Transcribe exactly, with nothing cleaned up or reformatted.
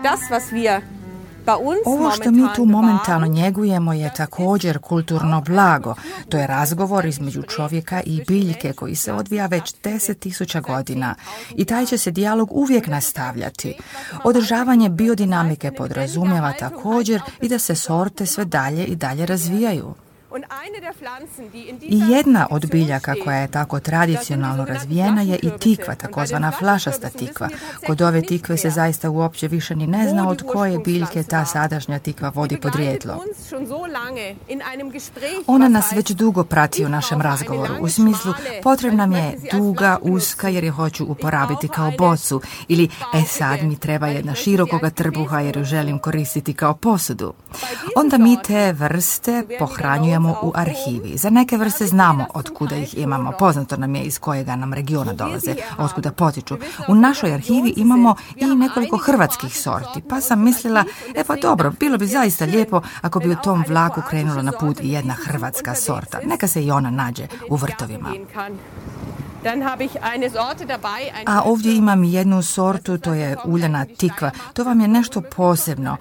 Das, was wir Ovo što mi tu momentalno njegujemo je također kulturno blago. To je razgovor između čovjeka i biljke koji se odvija već deset tisuća godina i taj će se dijalog uvijek nastavljati. Održavanje biodinamike podrazumijeva također i da se sorte sve dalje i dalje razvijaju. I jedna od biljaka koja je tako tradicionalno razvijena je i tikva, takozvana flašasta tikva. Kod ove tikve se zaista uopće više ni ne zna od koje biljke ta sadašnja tikva vodi podrijetlo. Ona nas već dugo prati u našem razgovoru, u smislu potrebna mi je duga, uska jer je hoću uporabiti kao bocu, ili e sad mi treba jedna širokoga trbuha jer ju želim koristiti kao posudu. Onda mi te vrste pohranjujemo u arhivi. Za neke vrste znamo od kuda ih imamo, poznato nam je iz kojega nam regiona dolaze, od kuda potiču. U našoj arhivi imamo i nekoliko hrvatskih sorti, pa sam mislila, e pa dobro, bilo bi zaista lijepo ako bi u tom vlaku krenula na put i jedna hrvatska sorta. Neka se i ona nađe u vrtovima. A ovdje imam jednu sortu, to je uljana tikva. To vam je nešto posebno.